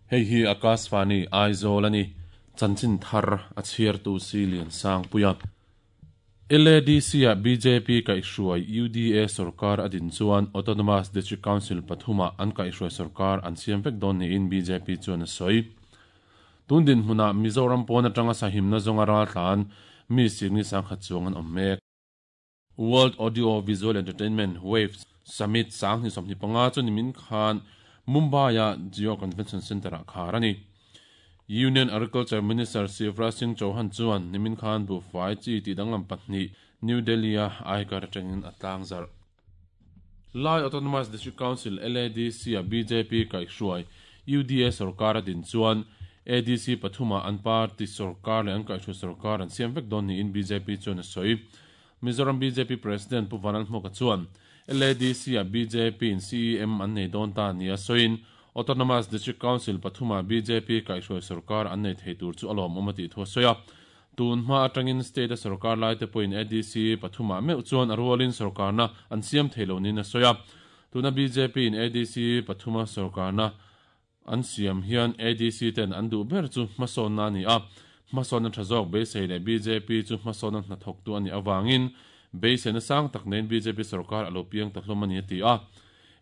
Hei hi Akashvani Aizawl a ni. Chanchin thar a chhiartu si Liansangpuia. LADC-ah bjp kaihhruai UDA sorkar a din chuan Autonomous District Council pathumah an kaihhruai sorkar an siam vek dawn niin bjp chuan a sawi. Tun dinhmunah Mizoram pawn atanga sahimna zawnga raltlan mi sikni sangkhat chuang an awm mek. World Audio Visual Entertainment, Waves, Summit 2025 chu nimin khan Mumbai-a Jio Convention Centre-ah khar a ni. Union Agriculture Minister Shivraj Singh Chouhan chuan nimin khan buhfai chi tih danglam pahnih New Delhi-a aikar atangin a tlangzarh. Lai Autonomous District Council, LADC, a bjp kaihhruai UDA sorkar a din chuan ADC pathumah an party sorkar leh an kaihhruai sorkar an siam vek dawn niin bjp chuan a sawi. Mizoram bjp President Pu Vanlalhmuaka chuan LADC-ah BJP-in CEM an nei dawn ta nia sawiin Autonomous District Council pathumah bjp kaihhruai sorkar an nei thei tur chu a lawmawm a tih thu a sawi a. Tun hma atangin state-a sorkar laite pawhin ADC pathumah meuh chuan a rualin sorkarna an siam thei lo niin a sawi a. Tuna BJP-in ADC pathuma sorkarna an siam hian ADC ten an duh ber chu hmasawnna a ni a. Hmasawnna tha zawk beisei leh bjp chu hmasawnna hnathawktu a nih avangin beiseina sang tak neiin bjp sorkar a lo piang ta hlawm a ni a ti a.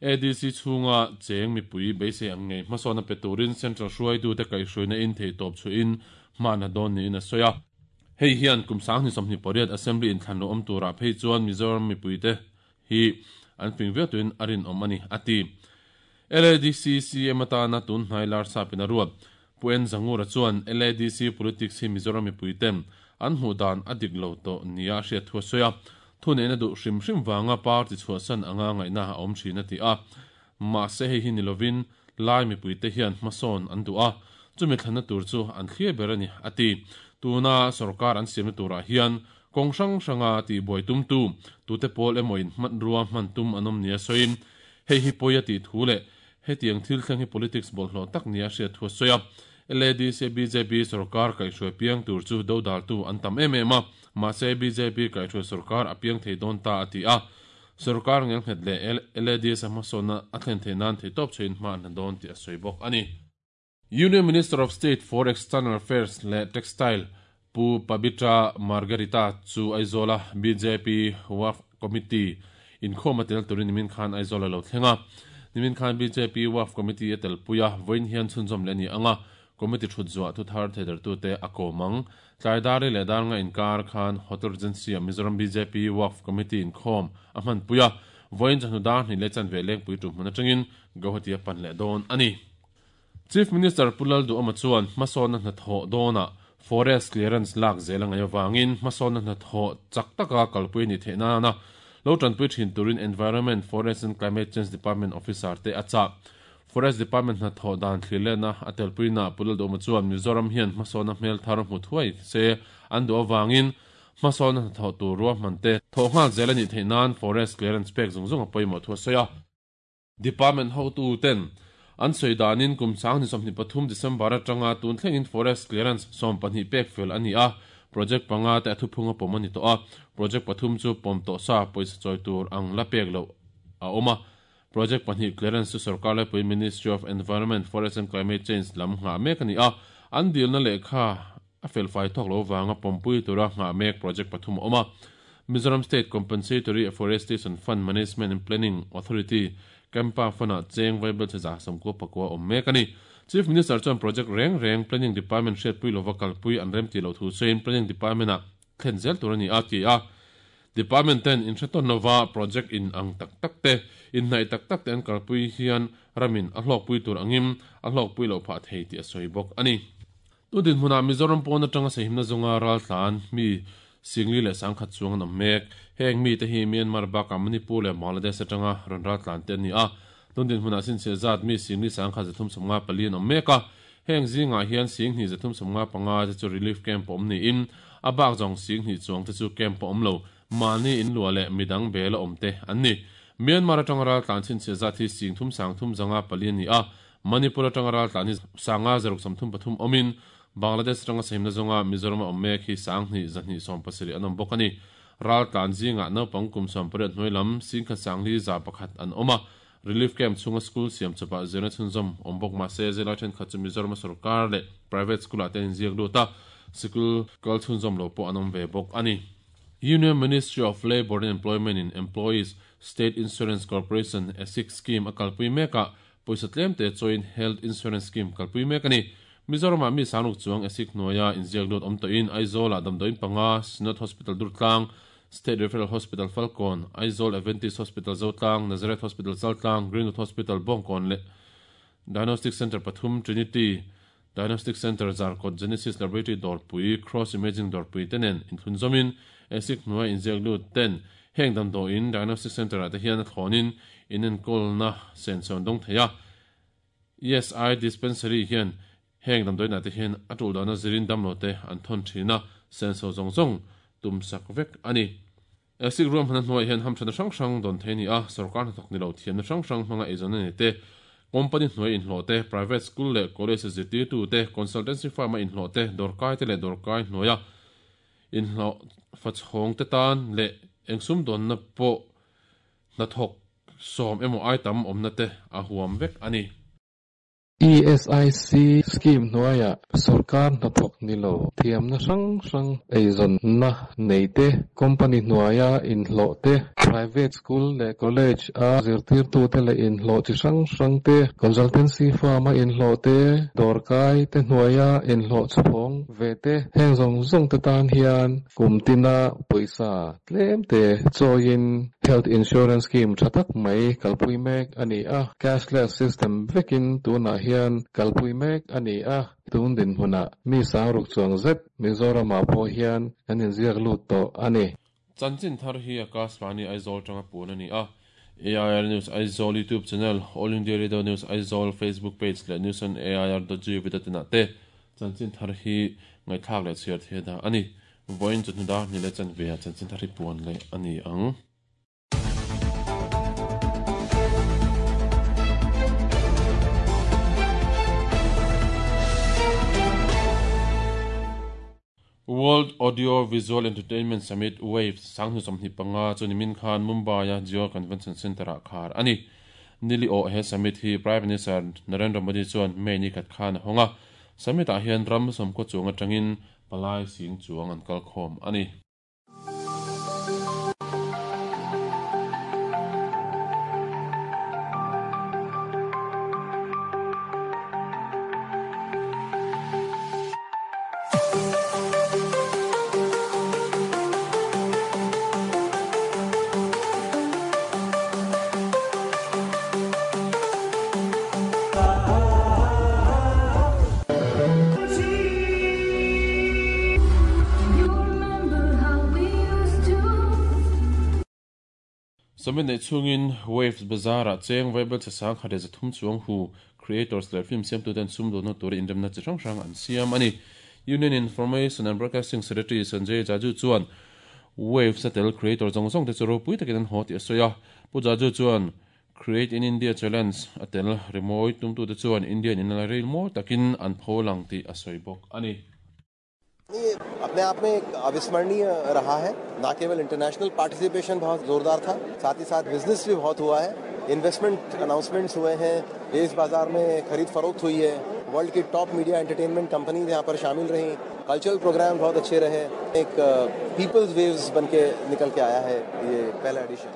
ADC chhunga cheng mipui beisei ang ngei hmasawnna pe turin Central hruaitute kaihhruaina in theihtawp chhuahin hmahna dawn niin a sawi a. Hei hian kum 2028 Assembly inthlan lo awm turah phei chuan Mizoram mipuite hi an fing viau tuin a rinawm a ni, a ti. LADC CM atana tun hnai lar sapin a ruat. Pu En Zangura chuan LADC politics hi Mizoram mipuiten an hmuh dan a dik lo tawh nia a hriat thu a sawi a. Thuneihna duh hrim hrim vanga party chhuahsan anga ngaihna a awm thin a ti a. Mahse hei hi ni lovin Lai mipuite hian hmasawn an duh a, chumi thlanna tur chu an thlir ber a ni, a ti. Tuna sorkar an siamna turah hian kawng hrang hranga tihbuai tumtu tute pawl emaw-in hmanrua hman tum an awm nia sawiin hei hi pawi a tih thu leh hetiang thil thleng hi politics bawlhhlawh tak nia hriat thu a sawi a. LADC bjp sorkar kaihhruai piang tur chu dodaltu an tam em em a, mahse bjp kaihhruai sorkar a piang thei dawn ta a ti a. Sorkar ngelnghet leh LADC a hmasawnna a thlen theih nan theihtawp chhuahin hma an hla dawn tih a sawi bawk a ni. Union Minister of State for External Affairs leh Textile Pu Pabitra Margherita chu Aizawla bjp Waqf Committee inkhawm a tel turin nimin khan Aizawl a lo thleng a. Nimin khan bjp Waqf Committee a telpui a, vawiin hian chhunzawm leh a ni ang a, Committee thut zuah thuthar theidertute a kawm ang. Tlai Dari leh Darnga inkar khan Hotel Regency-ah Mizoram bjp Waqf Committee inkhawm a hmanpui a, vawiin chawhnu dar hnih leh chanve lengpui tum hmun atangin Guwahati a pan leh dawn a ni. Chief Minister Pu Lalduhawma chuan hmasawnna hnathawh dawnah Forest Clearance lak zel a ngaih avangin hmasawnna hnathawh chak taka kalpui a nih theih nana lo tanpui thin turin Environment, Forest and Climate Change Department officer te a chah. Forest Department hnathawh dan thlirlehna a telpuinaah Pu Lalduhawma chuan Mizoram hian hmasawnna hmel thar hmu thuai se an duh avangin hmasawnna hnathawh tur ruahman te thawh nghal zel a nih theih nan Forest Clearance pek zung zung a pawimawh thu a sawi a. Department hotuten an sawi danin kum 2023 December atanga tun thlengin Forest Clearance 12 pek fel a ni a, project panga te a thuphung a pawm a ni tawh a, project pathum chu pawm tawh sa pawisa chawi tur ang la pek loh a awm a. Project pahnih clearance chu sorkar laipui Ministry of Environment, Forest and Climate Change lam nghah mek a ni a, an dilna lehkha a felfai thawk lo vanga pawmpui tura nghah mek project pathum a awm a. Mizoram State Compensatory Afforestation Fund Management and Planning Authority, CAMPA, Fund-ah cheng vaibel chhe 194 awm mek a ni. Chief Minister chuan project reng reng Planning Department hriatpui lova kalpui an remtih loh thu sawiin Planning Department-ah thlen zel tur a ni a, ti a. Department ten inhretawn lova project in ang tak tak te, inhnaih tak tak te an kalpui hian ramin a hlawkpui tur angin a hlawkpui loh phah thei tih a sawi bawk a ni. Tun dinhmunah Mizoram pawn atanga sahimna zawnga raltlan mi Singli leh Sangkhat chuang an awm mek. Heng mite hi Myanmar bakah Manipur leh Bangladesh atanga rawn raltlan te an ni a. Tun dinhmunah sinchhiah zat mi Singli Sangkhat 354 an awm mek a. Heng zingah hian 10,000 355 te chu relief camp a awm niin a bak zawng 10,000 chuang te chu camp a awm lo, mahni in luah leh midang bel a awm te an ni. Myanmar atanga raltlan chhinchhiah zat hi 3354 a ni a, Manipur atanga raltlan hi 563 awmin Bangladesh atanga sahimna zawnga Mizoram a awm mek hi 2,270 an awm bawk a ni. Raltlan zingah naupang kum 18 hnuai lam 10,1 an awm a. Relief camp chhunga school siam chawpah zirna chhunzawm awm bawk mah se zirlai thenkhat chu Mizoram sorkar leh private school-ah te an inziak lut a, sikul kal chhunzawm lo pawh an awm ve bawk a ni. Union Ministry of Labour and Employment in Employees State Insurance Corporation, ESIC, scheme a kalpui mek a, pawisa tlem te chawiin Health Insurance Scheme kalpui mek a ni. Mizoramah mi sangruk chuang ESIC hnuaia inziak lut awm tawhin Aizawlah damdawiin panga, Synod Hospital Durtlang, State Referral Hospital Falkawn, Aizawl Adventist Hospital Zotlang, Nazareth Hospital Chaltlang, Greenwood Hospital Bawngkawn leh Diagnostic Centre pathum, Trinity Diagnostic Centre Zarkawt, Genesis Laboratory Dawrpui, Cross Imaging Dawrpui te nen inthlunzawmin ESIC hnuai inziak lut ten heng damdawiin Diagnostic Centre ah te hian a thlawnin inenkawlna sensawn dawng thei a. ESI Dispensary hian heng damdawiinah te hian a tul dana zirin damlo te an thawn thin a, senso zawng zawng tum sak vek a ni. Esik ruahmanna hnuaiah hian hamthatna hrang hrang dawn thei a ni a, sorkar hnathawk ni lo thiamna hrang hrang hmanga eizawnna nei te, company hnuai inhlawh te, private school leh college zirtirtu te, consultancy firm a inhlawh te, dawrkai te leh dawrkai hnuaia inhlawh fachhawng te tan leh eng sumdawnna pawh hnathawk sawm emaw ai tam awmna te a huam vek a ni. ESIC scheme hnuaiah sorkar hnathawk ni lo thiamna hrang hrang eizawnna nei te, company hnuaia inhlawh te, private school leh college a zirtirtute leh inhlawh chi hrang hrang te, consultancy firm a inhlawh te, dawrkai te hnuaia inhlawh chhawng ve te, heng zawng zawng te tan hian kum tina pawisa tlem te chawiin Health Insurance Scheme tha tak mai kalpui mek a ni a, cashless system vekin tunah hian kalpui mek a ni a, tun dinhmunah mi sangruk chuang zet Mizoramah pawh hian an inziak lut tawh a ni. Chanchin thar hi Akashvani Aizawl tanga puan a ni a, AIR News Aizawl YouTube channel, All India Radio News Aizawl Facebook page leh News on AIR dot gov dot in ah te chanchin thar hi ngaihthlak leh chhiar thei a dah a ni. Vawiin chu hnu dar hnih leh chanve ah chanchin thar hi puan leh a ni ang. World Audio Visual Entertainment Summit, WAVES, sanghnu 25 chu nimin khan Mumbai-a Jio Convention Centre-ah khar a ni. Nili awh he summit hi Prime Minister Narendra Modi chuan May ni khat khan a hawng a. Summit-ah hian ram sawmkaw chuang atangin Palai sing chuang an kal khawm a ni. Summit neih chhungin Waves Bazaar-ah cheng vaibel che sang khat leh 300 chuang hu creators leh film siamtuten sumdawnna tura inremna chi hrang hrang an siam a ni. Union Information and Broadcasting Secretary Sanjay Jaju chuan Waves a tel creator zawng zawng te chu ropui takin an haw tih a sawi a. Pu Jaju chuan Create in India Challenge a tel rimawi tumtute chuan Indian in la ril mawi takin an pho lang tih a sawi bawk a ni. अपने आप में एक अविस्मरणीय रहा है। ना केवल international participation बहुत जोरदार था, साथ ही साथ बिजनेस भी बहुत हुआ है, इन्वेस्टमेंट अनाउंसमेंट्स हुए हैं, देश बाजार में खरीद फरोख्त हुई है, वर्ल्ड की top media entertainment companies यहाँ पर शामिल रही, कल्चरल प्रोग्राम बहुत अच्छे रहे, एक पीपल्स वेव्स बन के निकल के आया है ये पहला addition.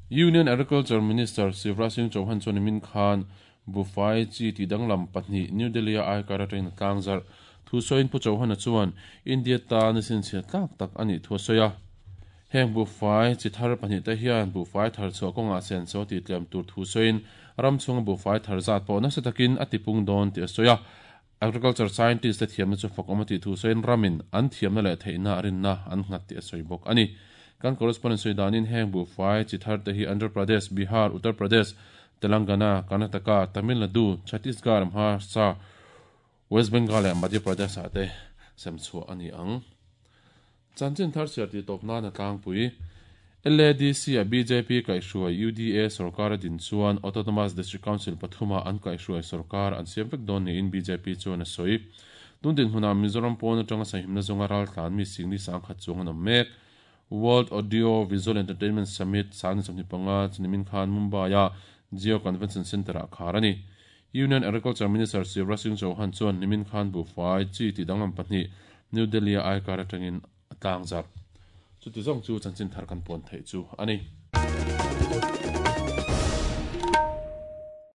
Union Agriculture Minister Shivraj Singh Chauhan chuan nimin khan Buhfai chi tih danglam pahnih New Delhi-a aikar atangin a tlang zarh. Thu sawiin Pu Chauhan-a chuan India tan a sinchhiat tlak tak a nih thu a sawi a. Heng buhfai chi thar pahnih te hian buhfai thar chhuah kawngah senso tih tlem tur thu sawiin ram chhunga buhfai thar zat pawh nasa takin a tipung dawn tih a sawi a. Agriculture scientist te thiamna chu fakawm a tih thu sawiin ramin an thiamna leh theihna a rinna an nghat tih a sawi bawk a ni. Kan correspondent sawi danin heng buhfai chi thar te hi Andhra Pradesh, Bihar, Uttar Pradesh, Telangana, Karnataka, Tamil Nadu, Chhattisgarh, Maharashtra, West Bengal leh Madhya Pradesh ah te sem chhuah a ni ang. Chanchin thar chhiar tih tawp nan a tlangpui. LADC a bjp kaihhruai UDA sorkar a din chuan Autonomous District Council pathuma an kaihhruai sorkar an siam vek dawn niin bjp chuan a sawi. Tun dinhmunah Mizoram pawn atanga sahimna zawnga raltlan mi singli sangkhat chuang an awm mek. World Audio Visual Entertainment Summit 2025 chu nimin khan Mumbai-a Jio Convention Centre-ah khar a ni. Union Agriculture Minister Shivraj Singh Chauhan chuan nimin khan buhfai chi tih danglam pahnih New Delhi-a aikar atangin a tlangzarh. Chuti zawng chu chanchin thar kan puan theih chu a ni.